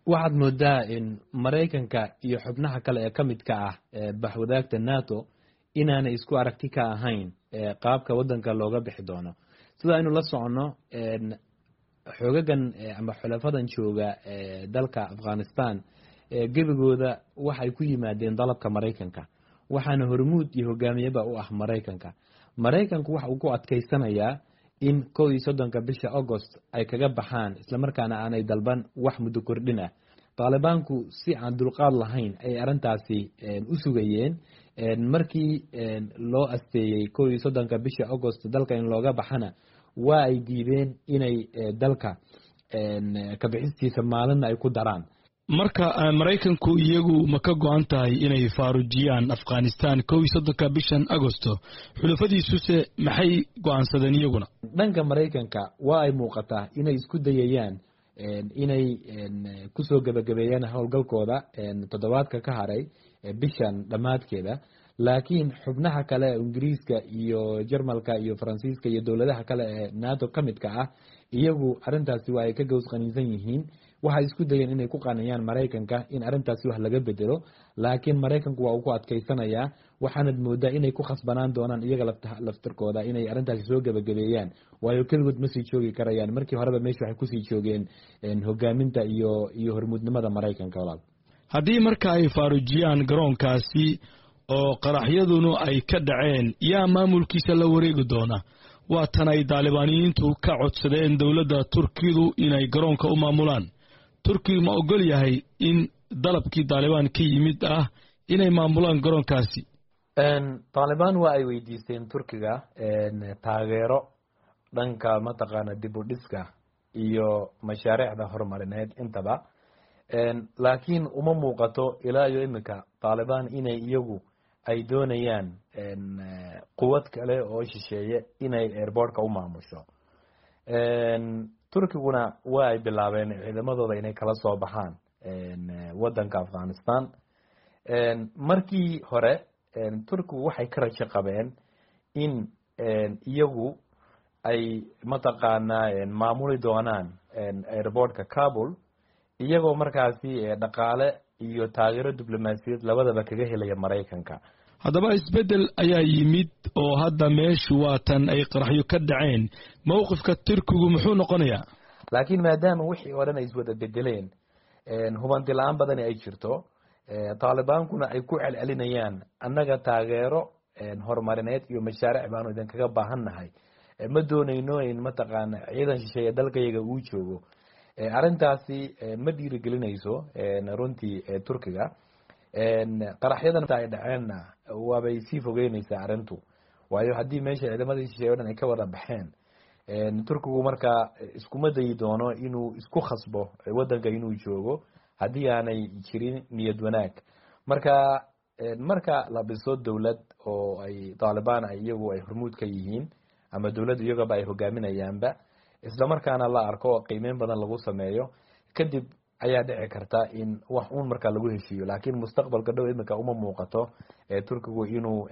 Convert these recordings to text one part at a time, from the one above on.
Waxaad moodaa in Maraykanka iyo xubnaha kale ee ka midka ah baxwadaagta NATO inaanay isku aragti ka ahayn qaabka wadanka looga bixi doono. Sida aynu la soconno, xoogagan ama xulafadan jooga dalka Afghanistan gebigooda waxay ku yimaadeen dalabka Maraykanka, waxaana hormuud iyo hogaamiyaba u ah Maraykanka. Maraykanku waxa uu ku adkaysanayaa in 31-ka bisha Agost ay kaga baxaan, islamarkaana aanay dalban wax muddo kordhin ah. Taalibaanku si aan dulqaad lahayn ayay arrintaasi u sugayeen. Markii loo asteeyey 31-ka bisha Agost dalka in looga baxana, waa ay diideen inay dalka kabixistiisa maalinna ay ku daraan. Marka Maraykanku iyagu ma ka go-an tahay inay faarujiyaan Afghanistan 31-ka bishan Agosto? Xulafadiisuse maxay go-aansadeen iyaguna? Dhanka Maraykanka waa ay muuqataa inay isku dayayaan inay kusoo gebagabeeyaan howlgalkooda toddobaadka ka haray bishan dhammaadkeeda, laakiin xubnaha kale ee Ingiriiska iyo Jarmalka iyo Faransiiska iyo dowladaha kale ee NATO ka midka ah iyagu arrintaasi waa ay ka gows qaniinsan yihiin. Waxay isku dayeen inay ku qaniyaan Maraykanka in arrintaasi wax laga bedelo, laakiin Maraykanku waa uu ku adkaysanayaa. Waxaanad moodaa inay ku khasbanaan doonaan iyaga laftirkooda inay arrintaasi soo gebagabeeyaan, waayo keligood ma sii joogi karayaan. Markii horeba meesha waxay kusii joogeen hogaaminta iyo hormuudnimada Maraykanka, walaal. Haddii marka ay faarujiyaan garoonkaasi oo qaraxyaduna ay ka dhaceen, yaa maamulkiisa la wareegi doona? Waa tan ay Daalibaaniyiintu ka codsadeen dowladda Turkidu inay garoonka u maamulaan. Turkigu ma ogol yahay in dalabkii Daalibaan ka yimid ah inay maamulaan garoonkaasi? Taalibaan waa ay weydiisteen Turkiga taageero dhanka mataqaana dib u dhiska iyo mashaariicda horumarineed intaba, laakiin uma muuqato ilaa iyo iminka Taalibaan inay iyagu ay doonayaan quwad kale oo shisheeye inay airportka u maamusho. Turkiguna waa ay bilaabeen ciidamadooda inay kala soo baxaan wadanka Afghanistan. Markii hore Turkigu waxay ka rajo qabeen in iyagu ay mataqaanaa maamuli doonaan airportka Kabul, iyagoo markaasi dhaqaale iyo taageero diblomaasiyaed labadaba kaga helaya Maraykanka. Haddaba isbeddel ayaa yimid oo hadda meeshu waa tan ay qaraxyo ka dhaceen. Mowqifka Turkigu muxuu noqonayaa? Laakiin maadaama wixii oo dhan ay iswada bedeleen, hubanti la-aan badani ay jirto, Taalibaankuna ay ku celcelinayaan annaga taageero horumarineed iyo mashaariic baanu idinkaga baahan nahay, ma doonayno in mataqaana ciidan shisheeye dalkayaga uu joogo, arrintaasi ma dhiirigelinayso runtii Turkiga. Qaraxyadan ay dhaceenna waabay sii fogeynaysaa arrintu, waayo haddii meesha ciidamadii shisheeye o dhan ay ka wada baxeen, Turkigu markaa iskuma dayi doono inuu isku khasbo wadanka inuu joogo haddii aanay jirin niyad wanaag. Marka la dhiso dowlad oo ay Taalibaan iyagu ay hormuud ka yihiin ama dowladda iyagaba ay hogaaminayaanba, islamarkaana la arko oo qiimeyn badan lagu sameeyo kadib, ayaa dhici karta in wax uun markaa lagu heshiiyo. Laakiin mustaqbalka dhow iminka uma muuqato Turkigu inuu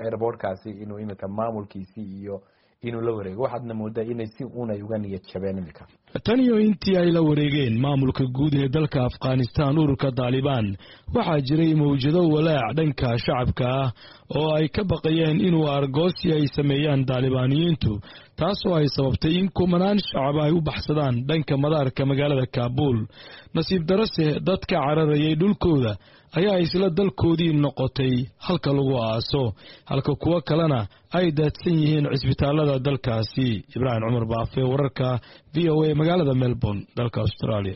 airportkaasi inuu iminka maamulkiisii iyo inuu la wareego. Waxaadna moodaa inay si uun ay uga niyad jabeen iminka. Tan iyo intii ay la wareegeen maamulka guud ee dalka Afghanistan ururka Daalibaan, waxaa jiray mawjado walaac dhanka shacabka ah oo ay ka baqayeen inuu argoosi ay sameeyaan Daalibaaniyiintu, taasoo ay sababtay in kumanaan shacab ay u baxsadaan dhanka madaarka magaalada Kaabuul. Nasiib darase, dadka cararayay dhulkooda ayaa isla dalkoodii noqotay halka lagu aaso, halka kuwo kalena ay daadsan yihiin cisbitaalada dalkaasi. Ibraahim Cumar Baafe, wararka VOA, magaalada Melbourne, dalka Australia.